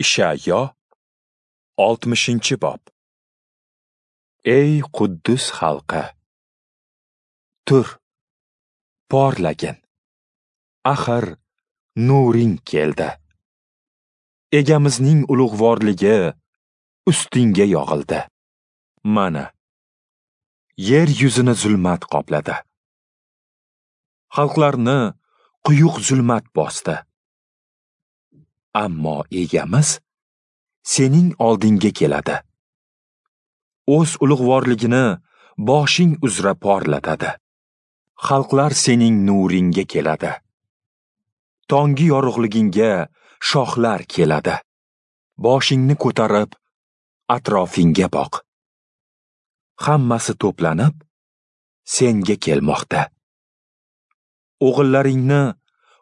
Ishayo 60-bob. Ey Quddus xalqi, tur, porlagin. Axir nuring keldi. Egamizning ulug'vorligi ustingga yog'ildi. Mana, yer yuzini zulmat qopladi. Xalqlarni quyuq zulmat bosdi. Ammo Egamiz sening oldingga keladi. O'z ulug'vorligini boshing uzra porlatadi. Xalqlar sening nuringga keladi. Tongi yorug'ligingga shohlar keladi. Boshingni ko'tarib, atrofingga boq. Hammasi to'planib, senga kelmoqda. O'g'illaringni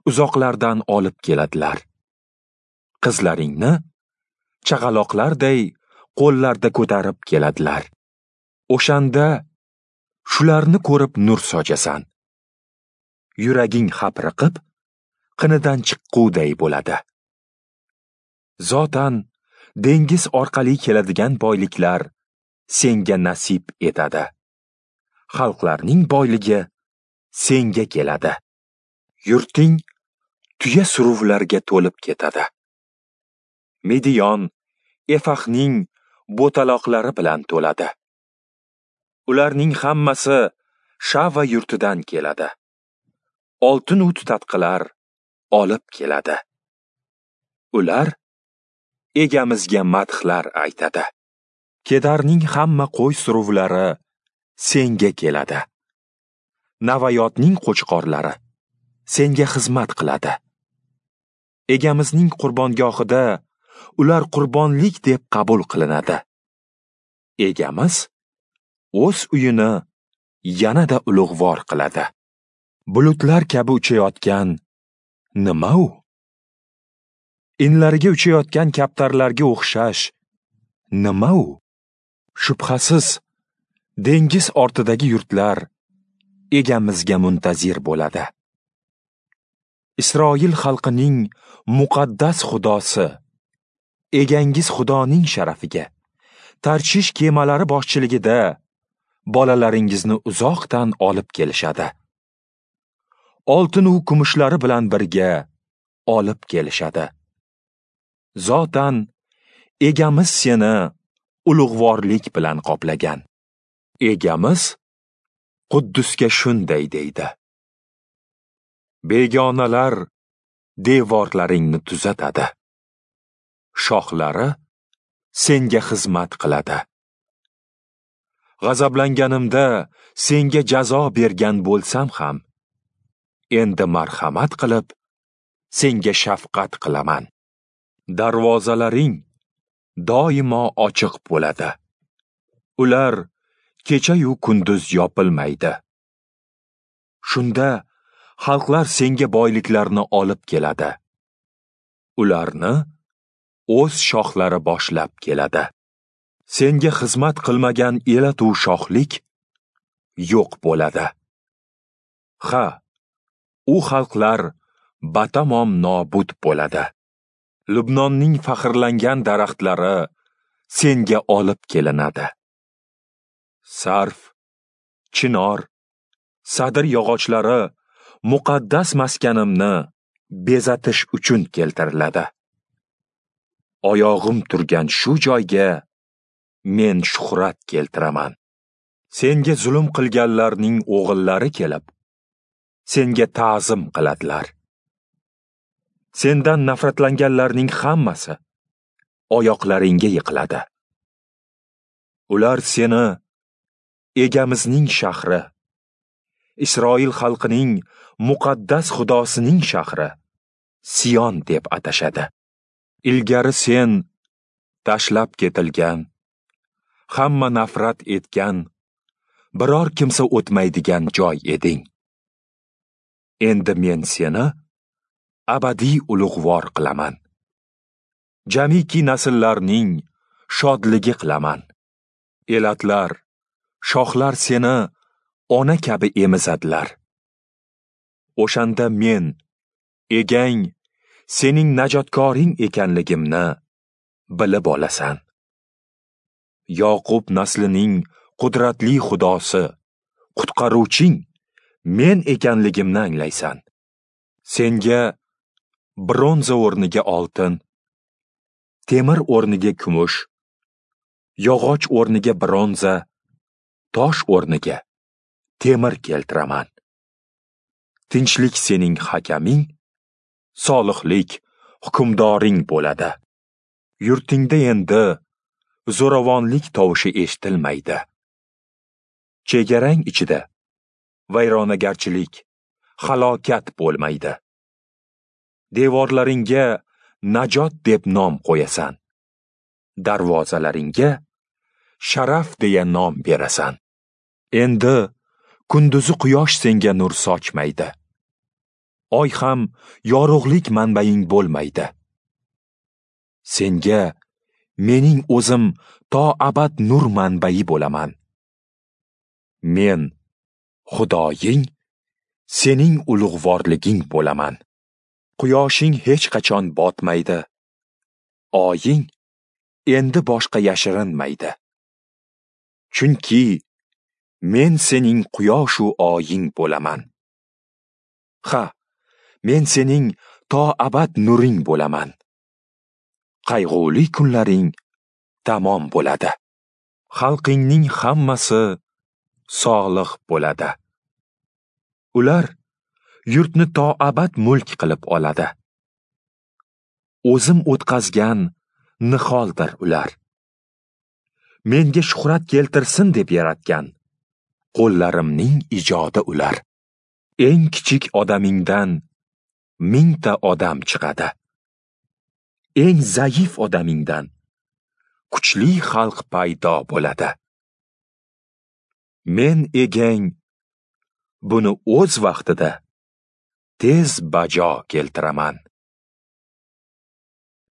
uzoqlardan olib keladilar. Qizlaringni chaqaloqlarday qo'llarda ko'tarib keladilar. O'shanda shularni ko'rib nur sochasan. Yuraging hapriqib, qinidan chiqquday bo'ladi. Zotan dengiz orqali keladigan boyliklar senga nasib etadi. Xalqlarning boyligi senga keladi. Yurting tuya suruvlarga to'lib ketadi. Mediyon Efahning bo'taloqlari bilan to'ladi. Ularning hammasi Shava yurtidan keladi. Oltin u tutatqilar olib keladi. Ular Egamizga madhlar aytadi. Kedarning hamma qo'y suruvlari senga keladi. Navayotning qo'chqorlari senga xizmat qiladi. Egamizning qurbongohida ular qurbonlik deb qabul qilinadi. Egamiz o'z uyini yanada ulug'vor qiladi. Bulutlar kabi uchayotgan nima u? Inlariga uchayotgan kaptarlarga o'xshash nima u? Shubhasiz, dengiz ortidagi yurtlar Egamizga muntazir bo'ladi. Isroil xalqining muqaddas Xudosi, Egangiz Xudoning sharafiga Tarshish kemalari boshchiligida bolalaringizni uzoqdan olib kelishadi. Oltin u kumushlari bilan birga olib kelishadi. Zotan Egamiz seni ulug'vorlik bilan qoplagan. Egamiz Quddusga shunday deydi: Begonalar devorlaringni tuzatadi. Shohlari senga xizmat qiladi. G'azablanganimda senga jazo bergan bo'lsam ham, endi marhamat qilib, senga shafqat qilaman. Darvozalaring doimo ochiq bo'ladi. Ular kecha-yu kunduz yopilmaydi. Shunda xalqlar senga boyliklarni olib keladi. Ularni o'z shohlari boshlab keladi. Senga xizmat qilmagan elatu shohlik yo'q bo'ladi. Ha, u xalqlar batamom nobud bo'ladi. Lubnonning faxrlangan daraxtlari senga olib kelinadi. Sarf, chinor, sadr yog'ochlari muqaddas maskanimni bezatish uchun keltiriladi. Oyog'im turgan shu joyga men shuhrat keltiraman. Senga zulm qilganlarning o'g'illari kelib, senga ta'zim qiladilar. Sendan nafratlanganlarning hammasi oyoqlaringga yiqiladi. Ular seni Egamizning shahri, Isroil xalqining muqaddas Xudosining shahri Sion deb atashadi. Ilgari sen tashlab ketilgan, hamma nafrat etgan, biror kimsa o'tmaydigan joy eding. Endi men seni abadiy ulug'vor qilaman. Jamiki nasllarning shodligi qilaman. Elatlar, shohlar seni ona kabi emizadilar. O'shanda men, Egang, sening najotkoring ekanligimni bilib olasan. Yoqub naslining qudratli Xudosi, qutqaruvching men ekanligimni anglaysan. Senga bronza o'rniga oltin, temir o'rniga kumush, yog'och o'rniga bronza, tosh o'rniga temir keltiraman. Tinchlik sening hakaming, solihlik hukmdoring bo'ladi. Yurtingda endi zo'ravonlik tovushi eshitilmaydi. Chegarang ichida vayronagarchilik, halokat bo'lmaydi. Devorlaringga najot deb nom qo'yasan. Darvozalaringga sharaf deya nom berasan. Endi kunduzi quyosh senga nur sochmaydi. Oy ham yorug'lik manbaing bo'lmaydi. Senga mening o'zim to abad nur manbai bo'laman. Men Xudoying, sening ulug'vorliging bo'laman. Quyoshing hech qachon botmaydi. Oying endi boshqa yashirinmaydi. Chunki men sening quyoshu oying bo'laman. Ha, men sening to abad nuring bo'laman. Qayg'uli kunlaring tamom bo'ladi. Xalqingning hammasi solih bo'ladi. Ular yurtni to abad mulk qilib oladi. O'zim o'tqazgan niholdir ular. Menga shuhrat keltirsin deb yaratgan qo'llarimning ijodi ular. Eng kichik odamingdan 1000 ta odam chiqadi. Eng zaif odamingdan kuchli xalq paydo bo'ladi. Men egang buni o'z vaqtida tez bajo keltiraman.